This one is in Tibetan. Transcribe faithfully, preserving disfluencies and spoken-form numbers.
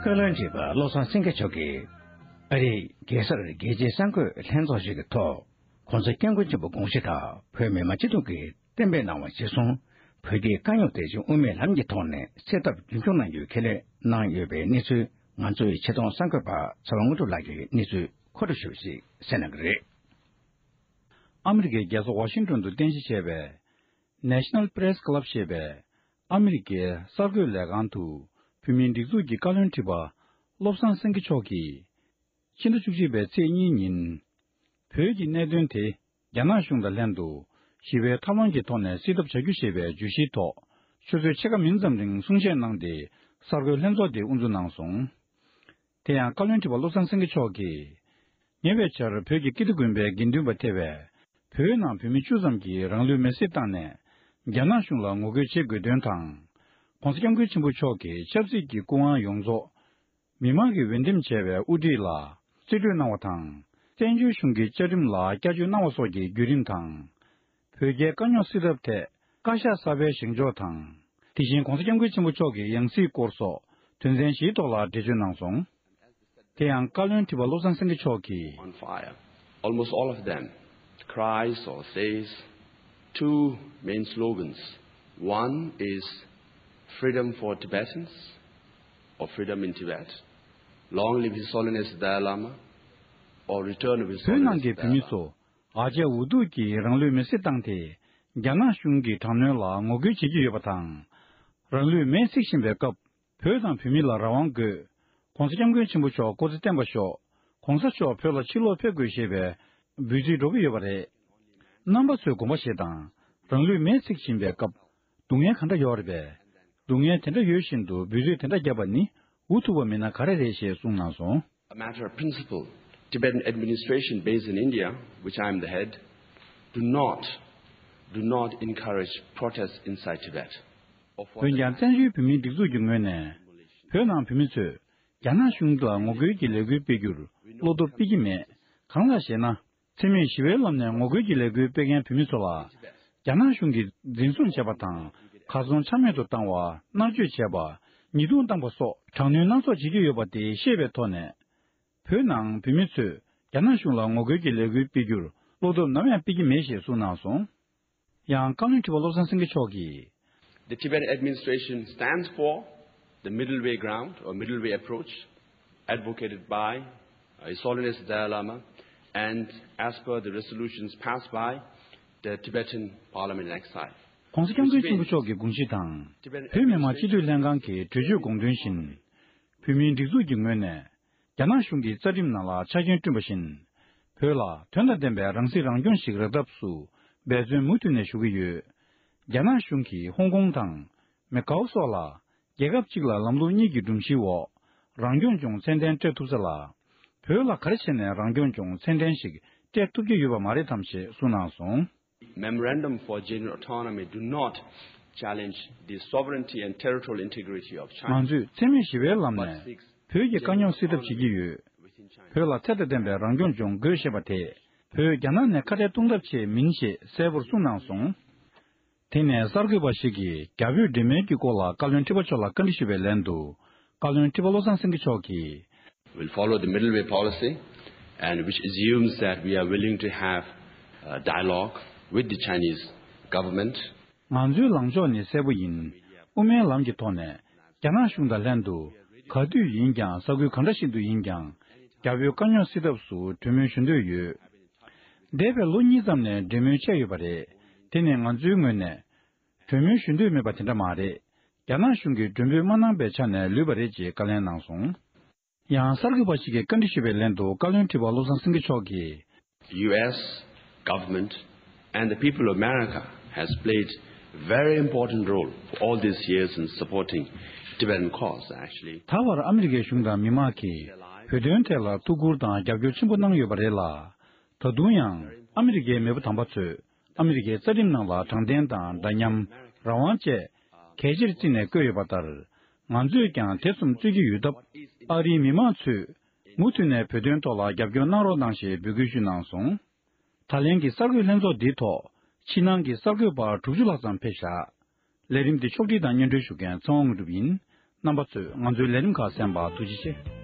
བཀའ་བློན་ཁྲི་པ་བློ་བཟང་སེང་གེ་མཆོག་གིས་ཨ་རིའི་རྒྱལ་སར་རྒྱལ་སྤྱིའི་གསར་འགོད་ལྷན་ཚོགས་ཤིག་གི་ཐོག་༧གོང་ས་༧སྐྱབས་མགོན་ཆེན་པོ་དགོངས་གཞི་དང་བོད་མི་མང་སྤྱི་འཐུས་ཀྱིས་གཏན་འབེབས་གནང་བ་གཞིར་བཟུང་བོད་ཀྱི་དཀའ་རྙོག་དེ་བཞིན་དབུ་མའི་ལམ་གྱི་ཐོག་ནས་སེལ་ཐབས་རྒྱུན་འཁྱོངས་གནང་རྒྱུའི་ཁས་ལེན་གནང་ཡོད་པའི་གནས་ཚུལ། ང་ཚོའི་ཆེད་གཏོང་གསར་འགོད་པ་ཚེ་དབང་དངོས་གྲུབ་ལགས་ཀྱིས་གནས་ཚུལ་མཁོ་སྒྲུབ་ཞུས་པ་ཞིག་གསན་གནང་གི་རེད། ཨ་མི་རི་ཀའི་རྒྱལ་ས་ཝ་ཤིང་ཏོན་དུ་རྟེན་གཞི་བྱས་པའི་National Press Club ཞེས་པའི་ཨ་མི་རི་ཀའི་གསར་འགོད་ལས་ཁང་དུ་བོད་མིའི་སྒྲིག་འཛུགས་ཀྱི་བཀའ་བློན་ཁྲི་པ་བློ་བཟང་སེང་གེ་མཆོག་གིས་ཕྱི་ཟླ་བཅུ་གཅིག་པའི་ཚེས་གཉིས་ཉིན་བོད་ཀྱི་གནད་དོན་དེ་རྒྱ་ནག་གཞུང་དང་ལྷན་དུ་ཞི་བའི་ཐབས་ལམ་གྱི་ཐོག་ནས་སེལ་ཐབས་བྱ་རྒྱུ་ཞེས་པའི་བརྗོད་གཞིའི་ཐོག་ཆུ་ཚོད་ཕྱེད་ཀ་མིན་ཙམ་རིང་གསུང་བཤད་གནང་སྟེ་གསར་འགོད་ལྷན་ཚོགས་དེ་དབུ་འཛུགས་གནང་སོང་། དེ་ཡང་བཀའ་བློན་ཁྲི་པ་བློ་བཟང་སེང་གེ་མཆོག་གིས། ཉེ་བའི་ཆར་བོད་ཀྱི་ཀིརྟི་དགོན་པའི་དགེ་འདུན་པ་ཐེ་བའི་བོད་ནང་བོད་མི་བཅུ་ཙམ་གྱིས་རང་ལུས་མེར་སྲེག་བཏང་ནས་རྒྱ་ནག་གཞུང་ལ་ངོ་རྒོལ་བྱེད་དགོས་དོན་དང་། ྋགོང་ས་ྋསྐྱབས་མགོན་ཆེན་པོ་མཆོག་གི་ཆབ་སྲིད་ཀྱི་སྐུ་དབང་ཡོངས་རྫོགས་མི་མང་གིས་འོས་འདེམས་བྱས་པའི་དབུ་ཁྲིད་ལ་རྩིས་སྤྲོད་གནང་བ་དང་། བཙན་བྱོལ་གཞུང་གི་བཅའ་ཁྲིམས་ལ་བསྐྱར་བཅོས་གནང་བ་སོགས་ཀྱི་བརྒྱུད་རིམ་དང་། བོད་རྒྱའི་དཀའ་རྙོག་སེལ་ཐབས་ཐད་བཀའ་ཤག་གསར་པའི་བཞེངས་ཕྱོགས་དང་། དེ་བཞིན་ྋགོང་ས་ྋསྐྱབས་མགོན་ཆེན་པོ་མཆོག་གི་ཡང་སྲིད་སྐོར་སོགས་དོན་ཚན་བཞིའི་ཐོག་ལ་འགྲེལ་བརྗོད་གནང་སོང་། དེ་ཡང་བཀའ་བློན་ཁྲི་པ་བློ་བཟང་སེང་གེ་མཆོག་གིས། On fire. Almost all of them cries or says two main slogans. One is freedom for Tibetans or freedom in Tibet. Long live His Holiness the Dalai Lama or return of His Holiness the Dalai Lama. བོད་ནང་གི་བོད་མི་ཚོ་ཨ་ཅག་འུ་ཐུག་གིས་རང་ལུས་མེར་སྲེག་བཏང་སྟེ་རྒྱ་ནག་གཞུང་གི་དྲག་གནོན་ལ་ངོ་རྒོལ་བྱེད་ཀྱི་ཡོད་པ་དང་། རང་ལུས་མེར་སྲེག་བཞིན་པའི་སྐབས། བོད་དང་བོད་མི་ལ་རང་དབང་དགོས། ྋགོང་ས་ྋསྐྱབས་མགོན་ཆེན་པོ་མཆོག་སྐུ་ཚེ་བརྟན་པར་ཤོག ྋགོང་ས་མཆོག་བོད་ལ་ཕྱིར་ལོག་ཕེབས་དགོས་ཞེས་པའི་འབོད་ཚིག་སྒྲོག་གི་ཡོད་པ་རེད། རྣམ་པ་ཚོས་དགོངས་པ་བཞེས་དང་། རང་ལུས་མེར་སྲེག་བཞིན་པའི་སྐབས། སྡུག་བསྔལ་ག་འདྲ་ཡོད་རེད་པས། སྡུག་བསྔལ་དེ་འདྲ་ཡོད་བཞིན་དུ་འབོད་ཚིག་དེ་འདྲ་བརྒྱབ་པ་ནི་འུ་ཐུག་པ་མིན་ན་ག་རེ་རེད་ཞེས་གསུངས་གནང་སོང་། A matter of principle, Tibetan administration based in India, which I am the head, do not, do not encourage protests inside Tibet. འོན་ཀྱང་བཙན་བྱོལ་བོད་མིའི་སྒྲིག་འཛུགས་ཀྱི་ངོས་ནས་བོད་ནང་བོད་མི་ཚོས་རྒྱ་ནག་གཞུང་ལ་ངོ་རྒོལ་གྱི་ལས་འགུལ་སྤེལ་རྒྱུར་བློ་སྟོབས་སྤེལ་གྱི་མེད། གང་ལགས་ཤེ་ན། འཚེ་མེད་ཞི་བའི་ལམ་ནས་ངོ་རྒོལ་གྱི་ལས་འགུལ་སྤེལ་མཁན་བོད་མི་ཚོ་ལ་རྒྱ་ནག་གཞུང་གིས་འཛིན་བཟུང་བྱས་པ་དང་། གར་སོང་ཆ་མེད་དུ་བཏང་བ། མནར་གཅོད་བྱས་པ། ཉེས་རྡུང་བཏང་པ་སོགས་དྲག་གནོན་སྣ་ཚོགས་བྱེད་ཀྱི་ཡོད་པ་དེ་ཤེས་པའི་ཐོག་ནས། བོད་ནང་བོད་མི་ཚོས་རྒྱ་ནག་གཞུང་ལ་ངོ་རྒོལ་གྱི་ལས་འགུལ་སྤེལ་རྒྱུར་བློ་སྟོབས་ནམ་ཡང་སྤེལ་གྱི་མེད་ཞེས་གསུངས་གནང་སོང་། ཡང་བཀའ་བློན་ཁྲི་པ་བློ་བཟང་སེང་གེ་མཆོག་གིས། The Tibetan administration stands for the middle way ground or middle way approach advocated by His Holiness the Dalai Lama and as per the resolutions passed by the Tibetan Parliament in Exile. ྋགོང་ས་ྋསྐྱབས་མགོན་ཆེན་པོ་མཆོག་གི་དགོངས་གཞི་དང་། བོད་མི་མང་སྤྱི་འཐུས་ལྷན་ཁང་གི་གྲོས་ཆོད་དགོངས་དོན་བཞིན། བོད་མིའི་སྒྲིག་འཛུགས་ཀྱི་ངོས་ནས། རྒྱ་ནག་གཞུང་གི་རྩ་ཁྲིམས་ནང་ལ་ཆ་རྐྱེན་བསྐྲུན་པ་བཞིན། བོད་ལ་དོན་དང་ལྡན་པའི་རང་སྲིད་རང་སྐྱོང་ཞིག་རག་ཐབས་སུ་འབད་བརྩོན་མུ་མཐུད་ནས་ཞུ་གི་ཡོད། རྒྱ་ནག་གཞུང་གིས་ཧོང་ཀོང་དང་མེ་ཀའོ་སོགས་ལ་རྒྱལ་ཁབ་གཅིག་ལ་ལམ་ལུགས་གཉིས་ཀྱི་སྒྲོམ་གཞིའི་འོག་རང་སྐྱོང་ལྗོངས་ཚད་ལྡན་སྤྲད་ཐུབ་ས་ལ། བོད་ལ་ག་རེ་བྱས་ནས་རང་སྐྱོང་ལྗོངས་ཚད་ལྡན་ཞིག་སྤྲད་ཐུབ་ཀྱི་ཡོད་པ་མ་རེད་དམ་ཞེས་གསུངས་གནང་སོང་། Memorandum for Genuine Autonomy do not challenge the sovereignty and territorial integrity of China. ང་ཚོས་འཚེ་མེད་ཞི་བའི་ལམ་ནས་བོད་ཀྱི་དཀའ་རྙོག་སེལ་ཐབས་བྱེད་ཀྱི་ཡོད། བོད་ལ་ཚད་དང་ལྡན་པའི་རང་སྐྱོང་ལྗོངས་དགོས་ཞེས་པ་དེ་བོད་རྒྱ་ནག་ནས་ཁ་བྲལ་གཏོང་ཐབས་ཆེད་མིན་ཞེས་གསལ་པོར་གསུངས་གནང་སོང་། དེ་ནས་གསར་འགོད་པ་ཞིག་གིས་རྒྱ་བོད་འབྲེལ་མོལ་གྱི་སྐོར་ལ་བཀའ་བློན་ཁྲི་པ་མཆོག་ལ་བཀའ་འདྲི་ཞུས་པའི་ལན་དུ། བཀའ་བློན་ཁྲི་པ་བློ་བཟང་སེང་གེ་མཆོག་གིས། We'll follow the middle way policy and which assumes that we are willing to have a dialogue with the Chinese government. ང་ཚོའི་ལངས་ཕྱོགས་ནི་གསལ་པོ་ཡིན། དབུ་མའི་ལམ་གྱི་ཐོག་ནས་རྒྱ་ནག་གཞུང་དང་ལྷན་དུ་ག་དུས་ཡིན་ཀྱང་ས་ཁུལ་གང་འདྲ་ཞིག་ཏུ་ཡིན་ཀྱང་རྒྱ་བོད་དཀའ་རྙོག་སེལ་ཐབས་སུ་གྲོས་མོལ་ཞུ་འདོད་ཡོད། འདས་པའི་ལོ་གཉིས་ཙམ་ནས་གྲོས་མོལ་བྱས་ཡོད་པ་རེད། དེ་ནི་ང་ཚོའི་ངོས་ནས་གྲོས་མོལ་ཞུ་འདོད་མེད་པ་དེ་འདྲ་མ་རེད། རྒྱ་ནག་གཞུང་གིས་མགྲོན་འབོད་མ་གནང་པའི་ཆ་ནས་ལུས་པ་རེད་ཅེས་བཀའ་ལན་གནང་སོང་། ཡང་གསར་འགོད་པ་ཞིག་གིས་བཀའ་འདྲི་ཞུས་པའི་ལན་དུ་བཀའ་བློན་ཁྲི་པ་བློ་བཟང་སེང་གེ་མཆོག་གིས། U S government and the people of America has played very important role for all these years in supporting Tibetan cause, actually. ད་བར་ཨ་མི་རི་ཀའི་གཞུང་དང་མི་མང་གིས་བོད་དོན་ཐད་ལ་ཐུགས་ཁུར་དང་རྒྱབ་སྐྱོར་ཆེན་པོ་གནང་ཡོད་པ་རེད་ལ། ད་དུང་ཡང་ཨ་མི་རི་ཀའི་མེས་པོ་དམ་པ་ཚོས་ཨ་མི་རི་ཀའི་རྩ་ཁྲིམས་ནང་ལ་དྲང་བདེན་དང་འདྲ་མཉམ། རང་དབང་བཅས་གལ་ཆེར་བརྩིས་ནས་བཀོད་ཡོད་པ་ལྟར། ང་ཚོས་ཀྱང་དེ་གསུམ་རྩོད་ཀྱི་ཡོད་སྟབས། ཨ་རིའི་མི་མང་ཚོས་མུ་མཐུད་ནས་བོད་དོན་ཐོག་ལ་རྒྱབ་སྐྱོར་གནང་རོགས་གནང་ཞེས་འབོད་སྐུལ་ཞུས་གནང་སོང་། ད་ལན་གྱི་གསར་འགོད་ལྷན་ཚོགས་འདིའི་ཐོག་ཕྱི་ནང་གི་གསར་འགོད་པ་དྲུག་ཅུ་ལྷག་ཙམ་ཕེབས་བཞག་ལས་རིམ་འདི་ཕྱོགས་སྒྲིག་དང་སྙན་སྒྲོན་ཞུ་མཁན་ཚེ་དབང་དངོས་གྲུབ་ཡིན། རྣམ་པ་ཚོས་ང་ཚོའི་ལས་རིམ་ཁག་གསན་པར་ཐུགས་རྗེ་ཆེ།